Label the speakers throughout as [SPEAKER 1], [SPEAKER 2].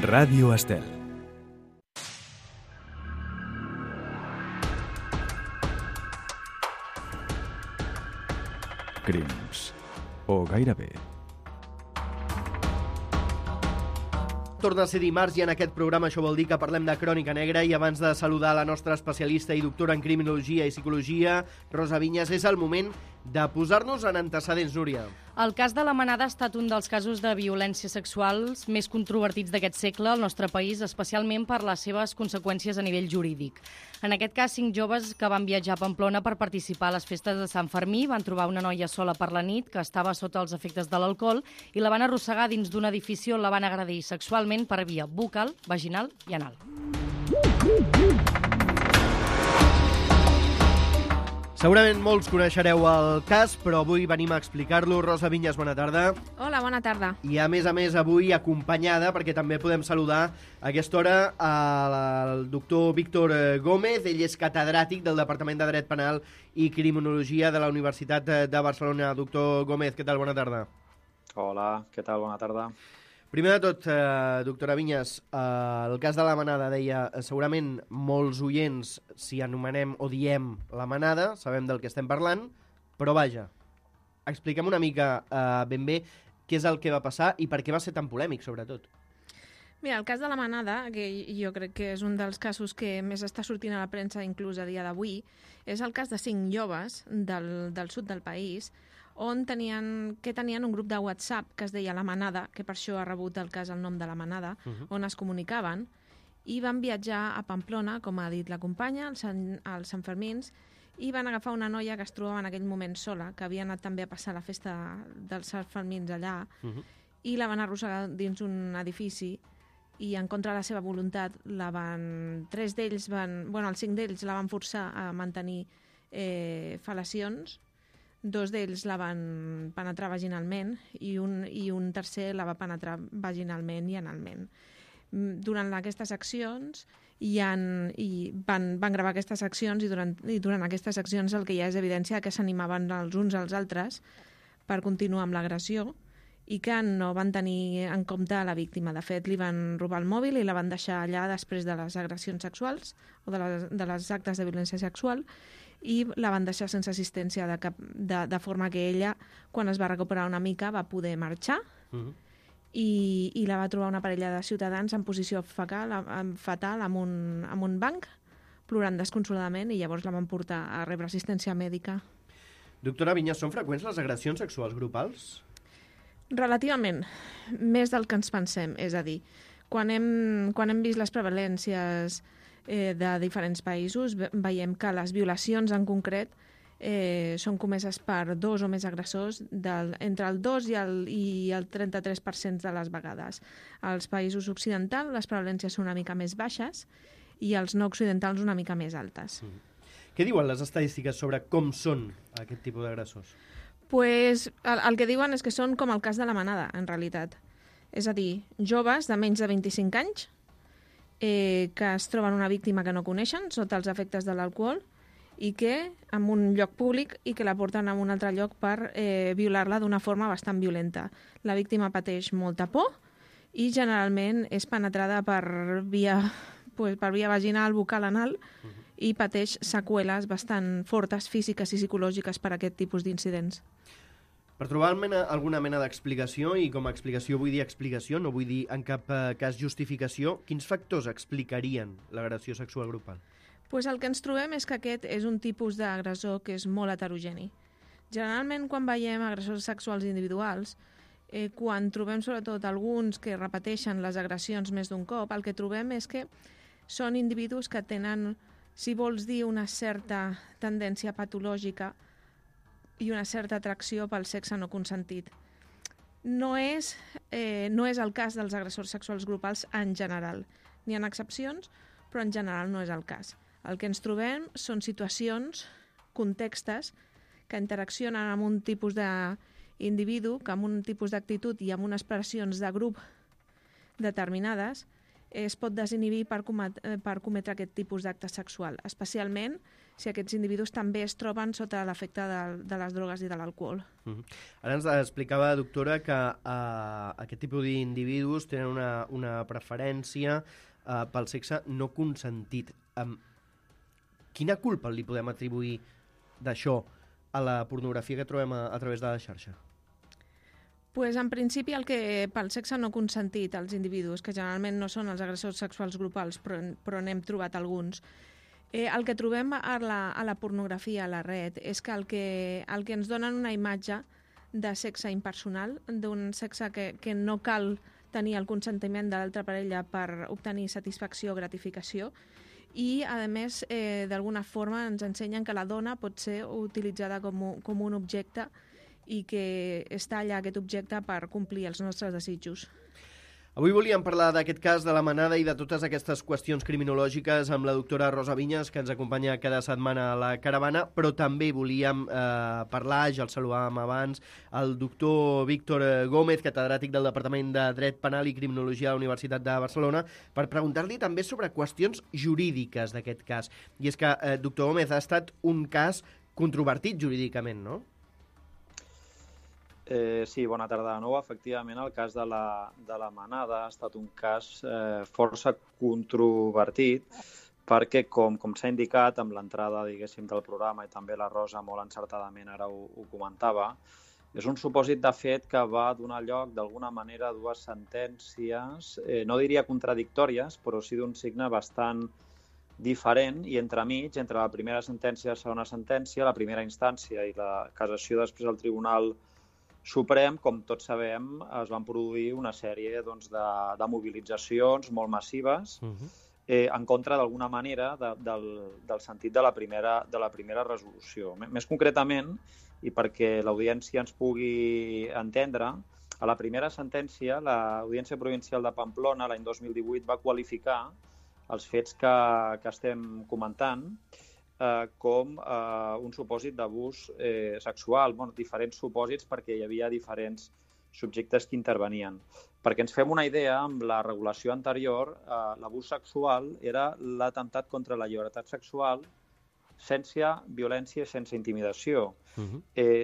[SPEAKER 1] Ràdio Estel. Crims. O gairebé.
[SPEAKER 2] Torna a ser dimarts i en aquest programa això vol dir que parlem de crònica negra, i abans de saludar la nostra especialista i doctora en criminologia i psicologia, Rosa Vinyes, és el moment de posar-nos en antecedents, Núria.
[SPEAKER 3] El cas de la Manada ha estat un dels casos de violència sexuals més controvertits d'aquest segle al nostre país, especialment per les seves conseqüències a nivell jurídic. En aquest cas, 5 joves que van viatjar a Pamplona per participar a les festes de Sant Fermí van trobar una noia sola per la nit que estava sota els efectes de l'alcohol i la van arrossegar dins d'un edifici on la van agredir sexualment per via bucal, vaginal i anal.
[SPEAKER 2] Segurament molts coneixereu el cas, però avui venim a explicar-lo. Rosa Vinyes, bona tarda.
[SPEAKER 4] Hola, bona tarda.
[SPEAKER 2] I a més, avui acompanyada, perquè també podem saludar a aquesta hora el doctor Víctor Gómez. Ell és catedràtic del Departament de Dret Penal i Criminologia de la Universitat de Barcelona. Doctor Gómez, què tal? Bona tarda.
[SPEAKER 5] Hola, què tal? Bona tarda.
[SPEAKER 2] Primer de tot, doctora Vinyes, el cas de la Manada, deia, segurament molts oients, si anomenem o diem la Manada, sabem del que estem parlant, però vaja, expliquem una mica ben bé què és el que va passar i per què va ser tan polèmic, sobretot.
[SPEAKER 4] Mira, el cas de la Manada, que jo crec que és un dels casos que més està sortint a la premsa inclús a dia d'avui, és el cas de 5 joves del sud del país on tenien un grup de WhatsApp que es deia La Manada, que per això ha rebut el cas el nom de La Manada, on es comunicaven, i van viatjar a Pamplona, com ha dit la companya, als Sant Fermins, i van agafar una noia que es trobava en aquell moment sola, que havia anat també a passar la festa dels Sant Fermins allà, i la van arrossegar dins un edifici, i en contra de la seva voluntat, els 5 d'ells la van forçar a mantenir fel·lacions, 2 d'ells la van penetrar vaginalment i un tercer la va penetrar vaginalment i analment. Durant aquestes accions van gravar aquestes accions i durant aquestes accions el que hi ha és evidència que s'animaven els uns als altres per continuar amb l'agressió i que no van tenir en compte la víctima. De fet, li van robar el mòbil i la van deixar allà després de les agressions sexuals o de les actes de violència sexual, i la van deixar sense assistència de forma que ella, quan es va recuperar una mica, va poder marxar i la va trobar una parella de ciutadans en posició fatal amb un banc, plorant desconsoladament, i llavors la van portar a rebre assistència mèdica.
[SPEAKER 2] Doctora Vinyes, són freqüents les agressions sexuals grupals?
[SPEAKER 4] Relativament, més del que ens pensem. És a dir, quan hem vist les prevalències de diferents països, veiem que les violacions en concret són comeses per 2 o més agressors entre el 2 i el 33% de les vegades. Als països occidentals les prevalències són una mica més baixes i als no occidentals una mica més altes.
[SPEAKER 2] Què diuen les estadístiques sobre com són aquest tipus d'agressors?
[SPEAKER 4] Pues, el que diuen és que són com el cas de la Manada, en realitat. És a dir, joves de menys de 25 anys que es troben una víctima que no coneixen sota els efectes de l'alcohol i que en un lloc públic i que la porten a un altre lloc per violar-la d'una forma bastant violenta. La víctima pateix molta por i generalment és penetrada per via vaginal, bucal, anal, i pateix seqüeles bastant fortes físiques i psicològiques per aquest tipus d'incidents.
[SPEAKER 2] Per trobar alguna mena d'explicació, i com a explicació vull dir explicació, no vull dir en cap cas justificació, quins factors explicarien l'agressió sexual grupal?
[SPEAKER 4] Pues el que ens trobem és que aquest és un tipus d'agressor que és molt heterogeni. Generalment, quan veiem agressors sexuals individuals, quan trobem sobretot alguns que repeteixen les agressions més d'un cop, el que trobem és que són individus que tenen, si vols dir, una certa tendència patològica i una certa atracció pel sexe no consentit. No és el cas dels agressors sexuals grupals en general. N'hi ha excepcions, però en general no és el cas. El que ens trobem són situacions, contextes, que interaccionen amb un tipus d'individu, que amb un tipus d'actitud i amb unes pressions de grup determinades es pot desinhibir per cometre aquest tipus d'acte sexual, especialment aquests individus també es troben sota l'efecte de les drogues i de l'alcohol.
[SPEAKER 2] Ara ens explicava, doctora, que aquest tipus d'individus tenen una preferència pel sexe no consentit. Quina culpa li podem atribuir d'això a la pornografia que trobem a través de la xarxa?
[SPEAKER 4] Pues, en principi, pel sexe no consentit als individus, que generalment no són els agressors sexuals grupals, però n'hem trobat alguns, el que trobem a la pornografia, a la red, és que el que ens donen una imatge de sexe impersonal, d'un sexe que no cal tenir el consentiment de l'altra parella per obtenir satisfacció o gratificació, i, a més, d'alguna forma ens ensenyen que la dona pot ser utilitzada com un objecte i que està allà aquest objecte per complir els nostres desitjos.
[SPEAKER 2] Avui volíem parlar d'aquest cas de la manada i de totes aquestes qüestions criminològiques amb la doctora Rosa Vinyes, que ens acompanya cada setmana a la caravana, però també volíem parlar, ja el saludàvem abans, el doctor Víctor Gómez, catedràtic del Departament de Dret Penal i Criminologia de la Universitat de Barcelona, per preguntar-li també sobre qüestions jurídiques d'aquest cas. I és que, doctor Gómez, ha estat un cas controvertit jurídicament, no?
[SPEAKER 5] Sí, bona tarda de nou. Efectivament, el cas de la manada ha estat un cas força controvertit perquè, com s'ha indicat amb l'entrada, diguéssim, del programa, i també la Rosa molt encertadament ara ho comentava, és un supòsit de fet que va donar lloc d'alguna manera a dues sentències, no diria contradictòries, però sí d'un signe bastant diferent, i entremig, entre la primera sentència i la segona sentència, la primera instància i la cassació després al Tribunal Suprem, com tots sabem, es van produir una sèrie de mobilitzacions molt massives en contra, d'alguna manera, del sentit de la primera resolució. Més concretament, i perquè l'audiència ens pugui entendre, a la primera sentència, l'Audiència Provincial de Pamplona, l'any 2018, va qualificar els fets que estem comentant com un supòsit d'abús sexual, diferents supòsits perquè hi havia diferents subjectes que intervenien. Perquè ens fem una idea, amb la regulació anterior, l'abús sexual era l'atemptat contra la llibertat sexual sense violència i sense intimidació.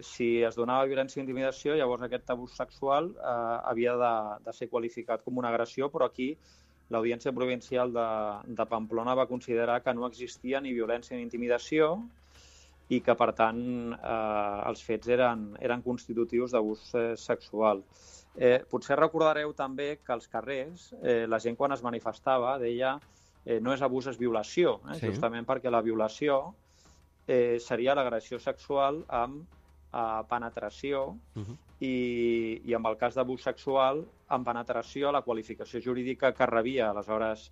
[SPEAKER 5] Si es donava violència i intimidació, llavors aquest abús sexual havia de ser qualificat com una agressió, però aquí l'Audiència Provincial de Pamplona va considerar que no existia ni violència ni intimidació i que, per tant, els fets eren constitutius d'abús sexual. Potser recordareu també que als carrers la gent, quan es manifestava, deia no és abús, és violació, justament perquè la violació seria l'agressió sexual amb penetració i en el cas d'abús sexual, amb penetració, la qualificació jurídica que rebia. Aleshores,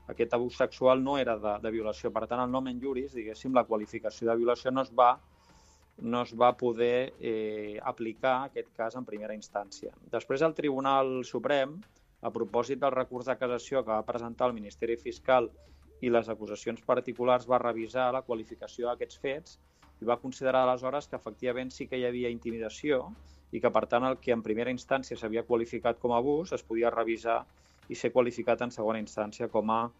[SPEAKER 5] aquest abús sexual no era de violació. Per tant, el nomen juris, diguéssim, la qualificació de violació no es va poder aplicar aquest cas en primera instància. Després, el Tribunal Suprem, a propòsit del recurs de cassació que va presentar el Ministeri Fiscal i les acusacions particulars, va revisar la qualificació d'aquests fets i va considerar aleshores que efectivament sí que hi havia intimidació i que, per tant, el que en primera instància s'havia qualificat com a abús es podia revisar i ser qualificat en segona instància com a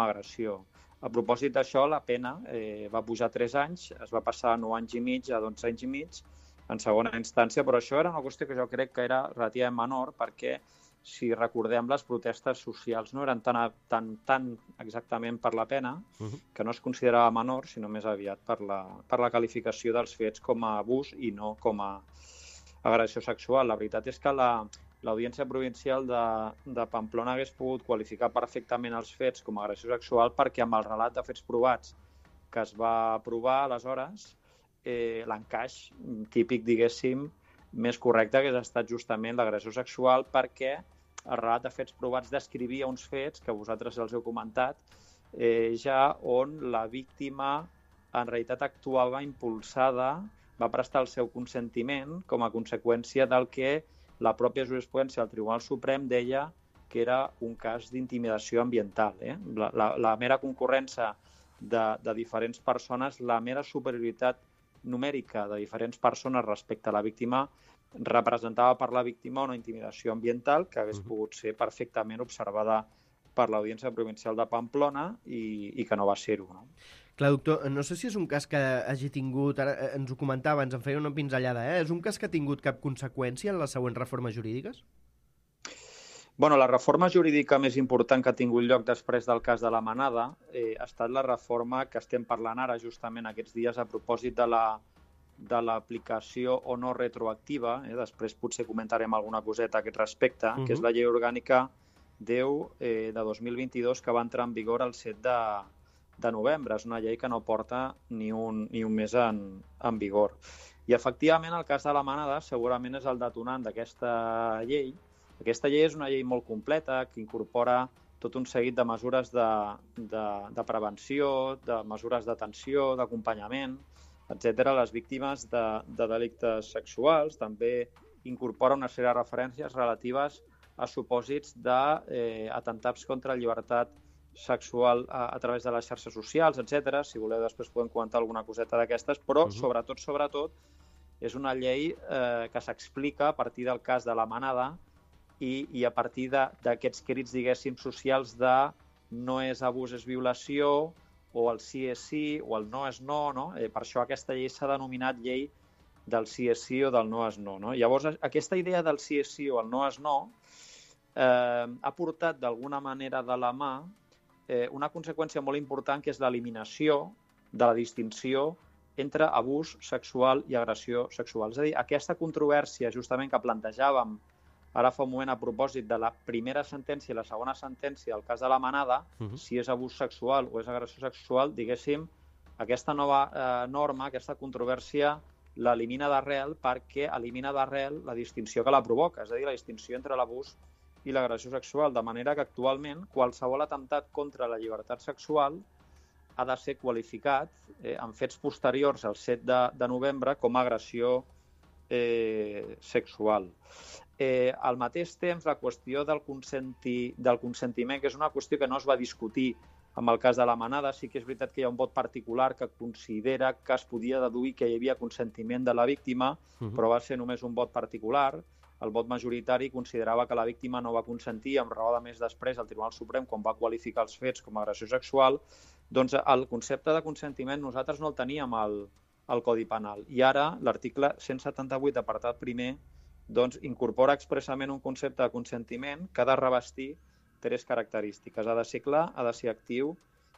[SPEAKER 5] agressió. A propòsit d'això, la pena va pujar 3 anys, es va passar a 9 anys i mig a 12 anys i mig en segona instància, però això era una qüestió que jo crec que era relativament menor perquè, si recordem, les protestes socials no eren tan exactament per la pena, que no es considerava menor, sinó més aviat per la qualificació dels fets com a abús i no com a agressió sexual. La veritat és que l'Audiència Provincial de Pamplona hagués pogut qualificar perfectament els fets com a agressió sexual perquè, amb el relat de fets provats que es va aprovar aleshores, l'encaix típic, diguéssim, més correcte hagués estat justament l'agressió sexual, perquè el relat de fets provats descrivia uns fets que vosaltres els heu comentat, ja on la víctima en realitat actuava impulsada, va prestar el seu consentiment com a conseqüència del que la pròpia jurisprudència del Tribunal Suprem deia que era un cas d'intimidació ambiental. La mera concurrència de diferents persones, la mera superioritat numèrica de diferents persones respecte a la víctima representava per la víctima una intimidació ambiental que hagués pogut ser perfectament observada per l'Audiència Provincial de Pamplona i que no va ser-ho.
[SPEAKER 2] Clar, doctor, no sé si és un cas que hagi tingut, ara ens ho comentava, ens en feia una pinzellada, és un cas que ha tingut cap conseqüència en les següents reformes jurídiques?
[SPEAKER 5] Bueno, la reforma jurídica més important que ha tingut lloc després del cas de la Manada ha estat la reforma que estem parlant ara, justament aquests dies, a propòsit de l'aplicació o no retroactiva. Després potser comentarem alguna coseta a aquest respecte, que és la llei orgànica 10 de 2022, que va entrar en vigor el 7 de novembre. És una llei que no porta ni un mes en vigor. I, efectivament, el cas de la Manada segurament és el detonant d'aquesta llei. Aquesta llei és una llei molt completa que incorpora tot un seguit de mesures de prevenció, de mesures d'atenció, d'acompanyament, etc. a les víctimes de delictes sexuals. També incorpora una sèrie de referències relatives a supòsits d'atemptats contra la llibertat sexual a través de les xarxes socials, etc. Si voleu, després podem comentar alguna coseta d'aquestes, però sobretot, és una llei que s'explica a partir del cas de la Manada i a partir d'aquests crits, diguéssim, socials de no és abús, és violació, o el sí és sí, o el no és no, no? Per això aquesta llei s'ha denominat llei del sí és sí o del no és no, no? Llavors, aquesta idea del sí és sí o el no és no ha portat d'alguna manera de la mà una conseqüència molt important, que és l'eliminació de la distinció entre abús sexual i agressió sexual. És a dir, aquesta controvèrsia justament que plantejàvem ara fa un moment a propòsit de la primera sentència i la segona sentència del cas de la Manada, si és abús sexual o és agressió sexual, diguéssim, aquesta nova norma, aquesta controvèrsia, l'elimina d'arrel perquè elimina d'arrel la distinció que la provoca, és a dir, la distinció entre l'abús i l'agressió sexual, de manera que actualment qualsevol atemptat contra la llibertat sexual ha de ser qualificat en fets posteriors al 7 de novembre com a agressió sexual. Al mateix temps, la qüestió del consentiment, que és una qüestió que no es va discutir amb el cas de la Manada, sí que és veritat que hi ha un vot particular que considera que es podia deduir que hi havia consentiment de la víctima, però va ser només un vot particular. El vot majoritari considerava que la víctima no va consentir, amb raó de més després el Tribunal Suprem, quan va qualificar els fets com a agressió sexual. Doncs el concepte de consentiment nosaltres no el teníem al Codi Penal. I ara l'article 178, apartat primer, doncs incorpora expressament un concepte de consentiment que ha de revestir tres característiques. Ha de ser clar, ha de ser actiu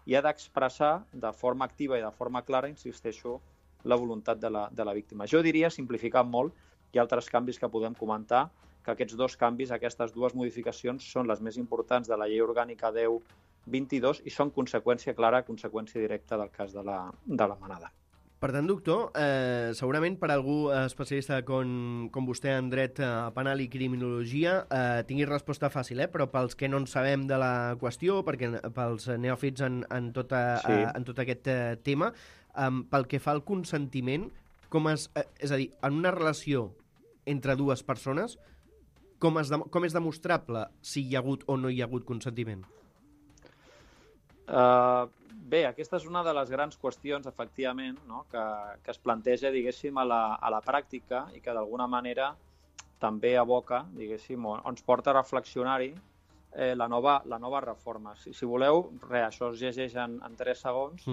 [SPEAKER 5] i ha d'expressar de forma activa i de forma clara, insisteixo, la voluntat de la víctima. Jo diria, simplificant molt, hi ha altres canvis que podem comentar, que aquests dos canvis, aquestes dues modificacions, són les més importants de la Llei Orgànica 10/22 i són conseqüència clara, conseqüència directa del cas de la Manada.
[SPEAKER 2] Per tant, doctor, segurament per algú especialista com vostè en dret penal i criminologia tingui resposta fàcil, però pels que no en sabem de la qüestió, pels neòfits en tot aquest tema, pel que fa al consentiment, és a dir, en una relació entre dues persones, com és demostrable si hi ha hagut o no hi ha hagut consentiment?
[SPEAKER 5] Bé, aquesta és una de les grans qüestions, efectivament, no? que es planteja, diguéssim, a la pràctica i que d'alguna manera també aboca, diguéssim, o ens porta a reflexionar-hi la nova reforma. Si voleu, això es llegeix en 3 segons,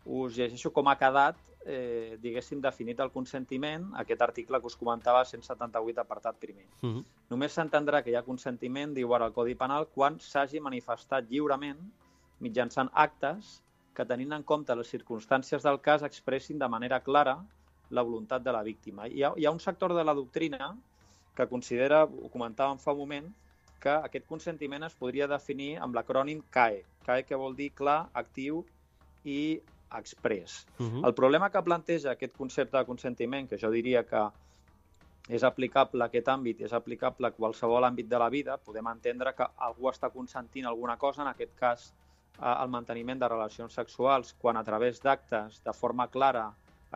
[SPEAKER 5] us llegeixo com ha quedat, diguéssim, definit el consentiment, aquest article que us comentava, 178, apartat primer. Només s'entendrà que hi ha consentiment, diu ara el Codi Penal, quan s'hagi manifestat lliurement mitjançant actes que, tenint en compte les circumstàncies del cas, expressin de manera clara la voluntat de la víctima. Hi ha un sector de la doctrina que considera, ho comentàvem fa un moment, que aquest consentiment es podria definir amb l'acrònim CAE. CAE, que vol dir clar, actiu i exprés. El problema que planteja aquest concepte de consentiment, que jo diria que és aplicable a aquest àmbit, és aplicable a qualsevol àmbit de la vida, podem entendre que algú està consentint alguna cosa, en aquest cas el manteniment de relacions sexuals, quan a través d'actes de forma clara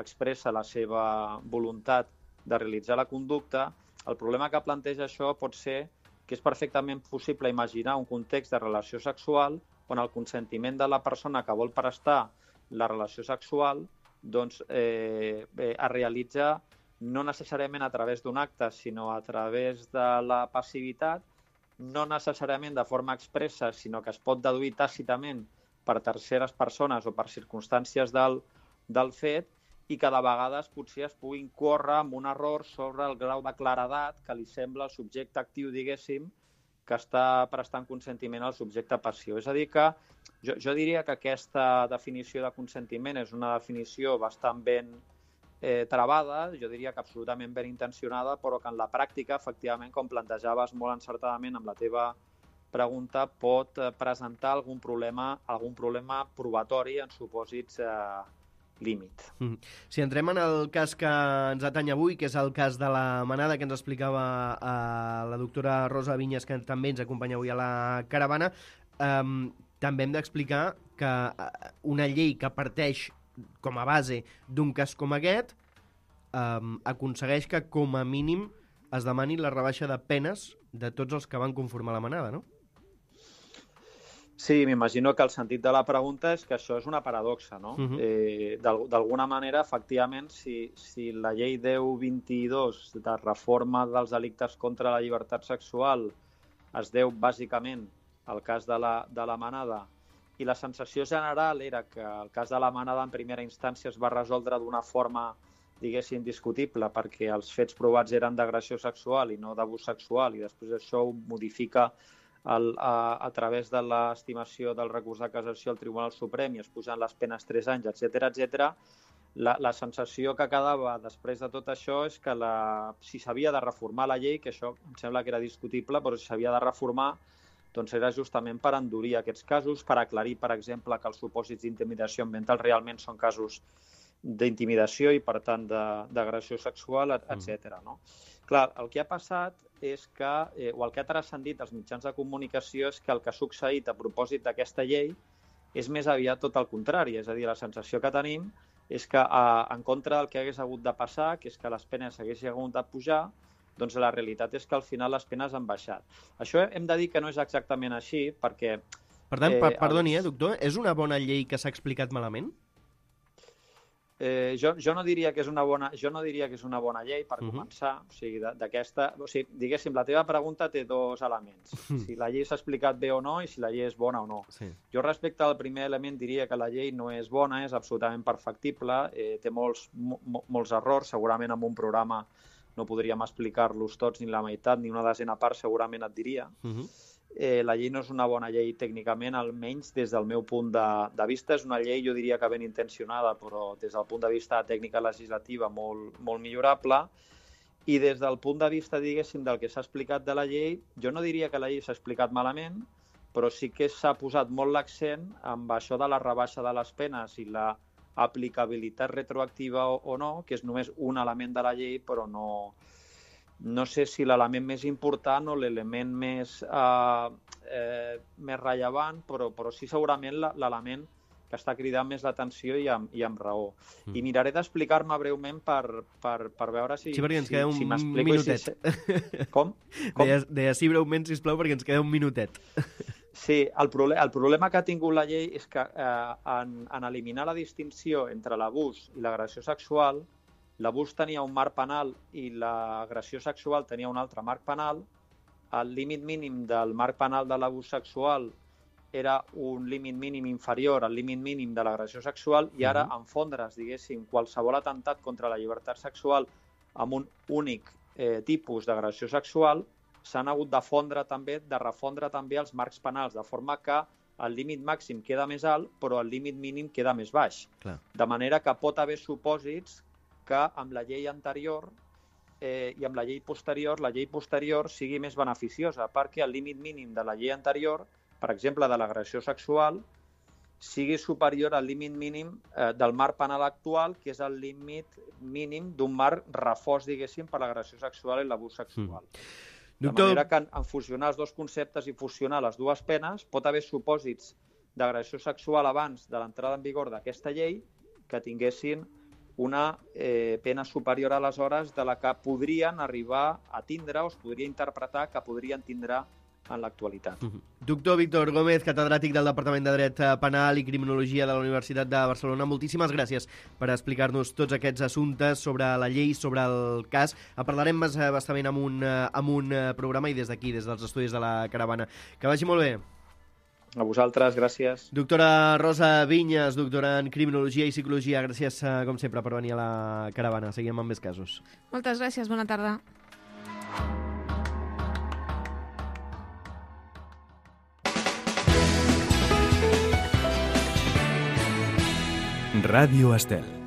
[SPEAKER 5] expressa la seva voluntat de realitzar la conducta. El problema que planteja això pot ser que és perfectament possible imaginar un context de relació sexual on el consentiment de la persona que vol prestar la relació sexual doncs, es realitza no necessàriament a través d'un acte, sinó a través de la passivitat, no necessàriament de forma expressa, sinó que es pot deduir tàcitament per terceres persones o per circumstàncies del fet i que de vegades potser es puguin córrer amb un error sobre el grau de claredat que li sembla el subjecte actiu, diguéssim, que està prestant consentiment al subjecte passiu. És a dir que jo diria que aquesta definició de consentiment és una definició bastant ben travada, jo diria que absolutament ben intencionada, però que en la pràctica, efectivament, com plantejaves molt encertadament amb la teva pregunta, pot presentar algun problema probatori en supòsits límit.
[SPEAKER 2] Si entrem en el cas que ens atany avui, que és el cas de la manada que ens explicava la doctora Rosa Vinyes, que també ens acompanya avui a la caravana, també hem d'explicar que una llei que parteix com a base d'un cas com aquest aconsegueix que com a mínim es demani la rebaixa de penes de tots els que van conformar la manada, no?
[SPEAKER 5] Sí, m'imagino que el sentit de la pregunta és que això és una paradoxa, no? D'alguna manera, efectivament, si la llei 1022 de reforma dels delictes contra la llibertat sexual es deu bàsicament al cas de la manada i la sensació general era que el cas de la manada en primera instància es va resoldre d'una forma, diguéssim, discutible perquè els fets provats eren d'agressió sexual i no d'abús sexual i després això ho modifica a través de l'estimació del recurs de cassació al Tribunal Suprem i es pugen les penes 3 anys, etc. La sensació que quedava després de tot això és que si s'havia de reformar la llei, que això em sembla que era discutible, però si s'havia de reformar doncs era justament per endurir aquests casos, per aclarir, per exemple, que els supòsits d'intimidació ambiental realment són casos d'intimidació i, per tant, d'agressió sexual, etc. No? Clar, el que ha passat és que, o el que ha transcendit als mitjans de comunicació és que el que ha succeït a propòsit d'aquesta llei és més aviat tot el contrari. És a dir, la sensació que tenim és que, en contra del que hagués hagut de passar, que és que les penes haguessin hagut de pujar, doncs la realitat és que al final les penes han baixat. Això hem de dir que no és exactament així, perquè...
[SPEAKER 2] Per tant, perdoni, doctor, és una bona llei que s'ha explicat malament?
[SPEAKER 5] Jo no diria que és una bona llei, per començar. O sigui, diguéssim, la teva pregunta té dos elements. Si la llei s'ha explicat bé o no i si la llei és bona o no.
[SPEAKER 2] Sí.
[SPEAKER 5] Jo respecte al primer element diria que la llei no és bona, és absolutament perfectible, té molts errors, segurament amb un programa no podríem explicar-los tots ni la meitat, ni una desena part segurament et diria. La llei no és una bona llei tècnicament, almenys des del meu punt de vista. És una llei, jo diria que ben intencionada, però des del punt de vista de tècnica legislativa molt millorable. I des del punt de vista, diguéssim, del que s'ha explicat de la llei, jo no diria que la llei s'ha explicat malament, però sí que s'ha posat molt l'accent amb això de la rebaixa de les penes i la aplicabilitat retroactiva o no, que és només un element de la llei, però no sé si l'element més important o l'element més rellevant, però sí segurament l'element que està cridant més l'atenció i amb raó. I miraré d'explicar-me breument per veure si...
[SPEAKER 2] Sí, perquè ens queda un minutet.
[SPEAKER 5] Com?
[SPEAKER 2] Deia sí breument, sisplau, perquè ens queda un minutet.
[SPEAKER 5] Sí, el problema que ha tingut la llei és que en eliminar la distinció entre l'abús i l'agressió sexual, l'abús tenia un marc penal i l'agressió sexual tenia un altre marc penal, el límit mínim del marc penal de l'abús sexual era un límit mínim inferior al límit mínim de l'agressió sexual i ara enfondre's, diguéssim, qualsevol atemptat contra la llibertat sexual amb un únic tipus d'agressió sexual s'han hagut de refondre també els marcs penals, de forma que el límit màxim queda més alt, però el límit mínim queda més baix.
[SPEAKER 2] Clar.
[SPEAKER 5] De manera que pot haver supòsits que amb la llei anterior i amb la llei posterior sigui més beneficiosa, perquè el límit mínim de la llei anterior, per exemple, de l'agressió sexual, sigui superior al límit mínim del marc penal actual, que és el límit mínim d'un marc refós, diguéssim, per l'agressió sexual i l'abús sexual. De manera que en fusionar els dos conceptes i fusionar les dues penes pot haver supòsits d'agressió sexual abans de l'entrada en vigor d'aquesta llei que tinguessin una pena superior aleshores de la que podrien arribar a tindre o es podria interpretar que podrien tindre en l'actualitat.
[SPEAKER 2] Doctor Víctor Gómez, catedràtic del Departament de Dret Penal i Criminologia de la Universitat de Barcelona, moltíssimes gràcies per explicar-nos tots aquests assumptes sobre la llei, sobre el cas. En parlarem més bastament amb un programa i des d'aquí, des dels estudis de la Caravana. Que vagi molt bé.
[SPEAKER 5] A vosaltres, gràcies.
[SPEAKER 2] Doctora Rosa Vinyes, doctora en Criminologia i Psicologia, gràcies, com sempre, per venir a la caravana. Seguim amb més casos.
[SPEAKER 4] Moltes gràcies, bona tarda.
[SPEAKER 1] Radio Estel.